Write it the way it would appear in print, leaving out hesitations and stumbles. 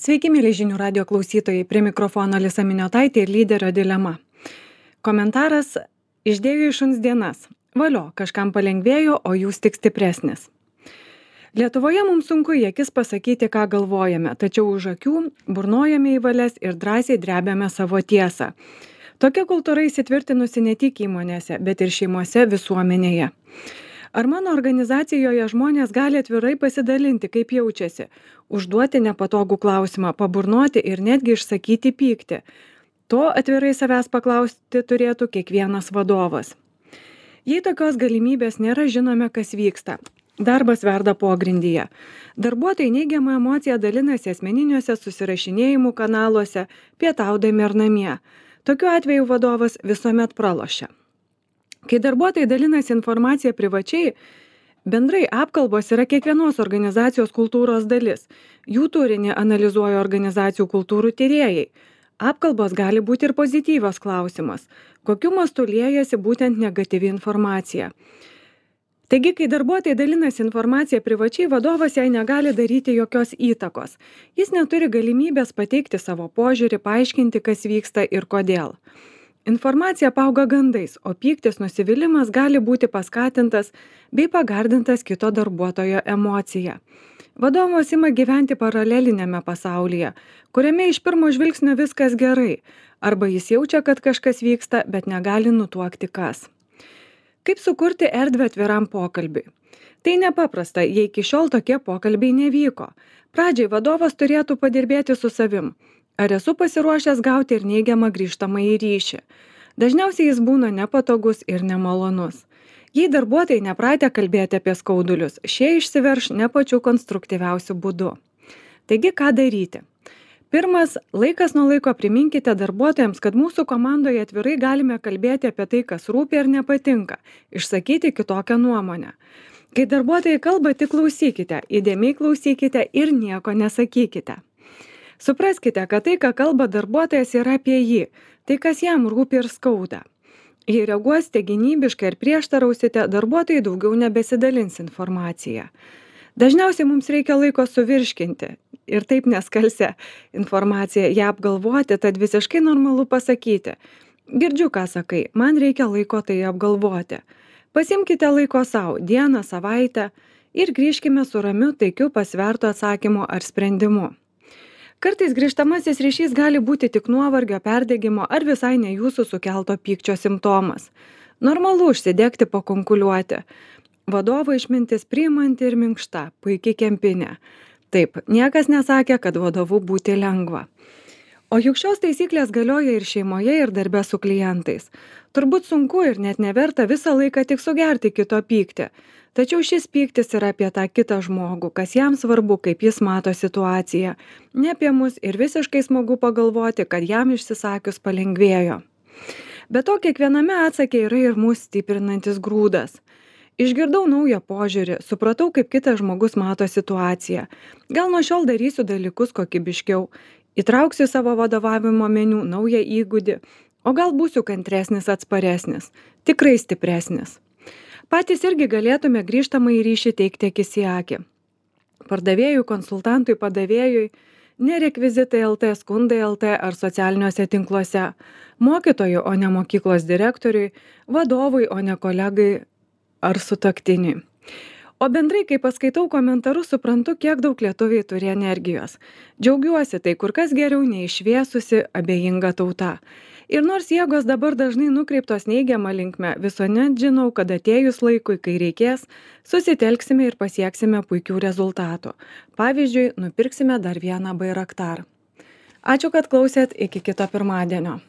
Sveiki, mėly žinių radio klausytojai, prie mikrofono Alisa Miniotaitė ir lyderio dilema. Komentaras: išdėjo į šuns dienas. Valio, kažkam palengvėjo, o jūs tik stipresnis. Lietuvoje mums sunku į akis pasakyti, ką galvojame, tačiau už akių burnojame į valias ir drąsiai drebėme savo tiesą. Tokia kultūra įsitvirtinusi ne tik įmonėse, bet ir šeimose, visuomenėje. Ar mano organizacijoje žmonės gali atvirai pasidalinti, kaip jaučiasi, užduoti nepatogų klausimą, paburnoti ir netgi išsakyti pyktį? To atvirai savęs paklausti turėtų kiekvienas vadovas. Jei tokios galimybės nėra, žinome, kas vyksta. Darbas verda pogrindyje. Darbuotojai neigiamą emociją dalinasi asmeniniuose susirašinėjimų kanaluose, pietaudami ar namie. Tokiu atveju vadovas visuomet pralošia. Kai darbuotojai dalinasi informaciją privačiai, bendrai apkalbos yra kiekvienos organizacijos kultūros dalis. Jų turinį analizuoja organizacijų kultūrų tyrėjai. Apkalbos gali būti ir pozityvios klausimas, kokiu mastu liejasi būtent negatyvi informacija. Taigi, kai darbuotojai dalinasi informaciją privačiai, vadovas jai negali daryti jokios įtakos. Jis neturi galimybės pateikti savo požiūrį, paaiškinti, kas vyksta ir kodėl. Informacija apauga gandais, o pyktis, nusivylimas gali būti paskatintas bei pagardintas kito darbuotojo emocija. Vadovas ima gyventi paralelinėme pasaulyje, kuriame iš pirmo žvilgsnio viskas gerai, arba jis jaučia, kad kažkas vyksta, bet negali nutuokti kas. Kaip sukurti erdvę atviram pokalbiui? Tai nepaprasta, jei iki šiol tokie pokalbiai nevyko. Pradžiai vadovas turėtų padirbėti su savim. Ar esu pasiruošęs gauti ir neigiamą grįžtamąjį ryšį? Dažniausiai jis būna nepatogus ir nemalonus. Jei darbuotojai nepratę kalbėti apie skaudulius, šie išsiverš ne pačiu konstruktyviausiu būdu. Taigi, ką daryti? Pirmas, laikas nuo laiko priminkite darbuotojams, kad mūsų komandoje atvirai galime kalbėti apie tai, kas rūpi ar nepatinka, išsakyti kitokią nuomonę. Kai darbuotojai kalba, tik klausykite, įdėmiai klausykite ir nieko nesakykite. Supraskite, kad tai, ką kalba darbuotojas, yra apie jį, tai, kas jam rūpi ir skauda. Jei reaguosite gynybiškai ir prieštarausite, darbuotojai daugiau nebesidalins informaciją. Dažniausiai mums reikia laiko suvirškinti ir taip neskalsę informaciją, ją apgalvoti, tad visiškai normalu pasakyti: girdžiu, ką sakai, man reikia laiko tai apgalvoti. Pasimkite laiko savo, dieną, savaitę ir grįžkime su ramiu, taikiu, pasvertu atsakymu ar sprendimu. Kartais grįžtamasis ryšys gali būti tik nuovargio, perdegimo ar visai ne jūsų sukelto pykčio simptomas. Normalu užsidegti, pakonkuliuoti. Vadovo išmintis priimanti ir minkšta, puikiai kempinė. Taip, niekas nesakė, kad vadovu būti lengva. O juk šios taisyklės galioja ir šeimoje, ir darbe su klientais. Turbūt sunku ir net neverta visą laiką tik sugerti kito pyktį. Tačiau šis pyktis yra apie tą kitą žmogų, kas jam svarbu, kaip jis mato situaciją. Ne apie mus ir visiškai smagu pagalvoti, kad jam išsisakius palengvėjo. Be to, kiekviename atsakė yra ir mus stiprinantis grūdas. Išgirdau naują požiūrį, supratau, kaip kitas žmogus mato situaciją. Gal nuo šiol darysiu dalykus kokybiškiau, įtrauksiu savo vadovavimo meniu naują įgūdį, o gal būsiu kantresnis, atsparesnis, tikrai stipresnis. Patys irgi galėtume grįžtamąjį ryšį teikti akis į akį. Pardavėjui, konsultantui, padavėjui, ne rekvizitai LT, skundai LT ar socialiniuose tinkluose, mokytojui, o ne mokyklos direktoriui, vadovui, o ne kolegai ar sutuoktiniui. O bendrai, kai paskaitau komentarus, suprantu, kiek daug lietuviai turi energijos. Džiaugiuosi, tai kur kas geriau nei šviesusi, abejinga tauta. Ir nors jėgos dabar dažnai nukreiptos neigiamą linkme, visuomet žinau, kad atėjus laikui, kai reikės, susitelksime ir pasieksime puikių rezultatų. Pavyzdžiui, nupirksime dar vieną Bairaktar. Ačiū, kad klausėt, iki kito pirmadienio.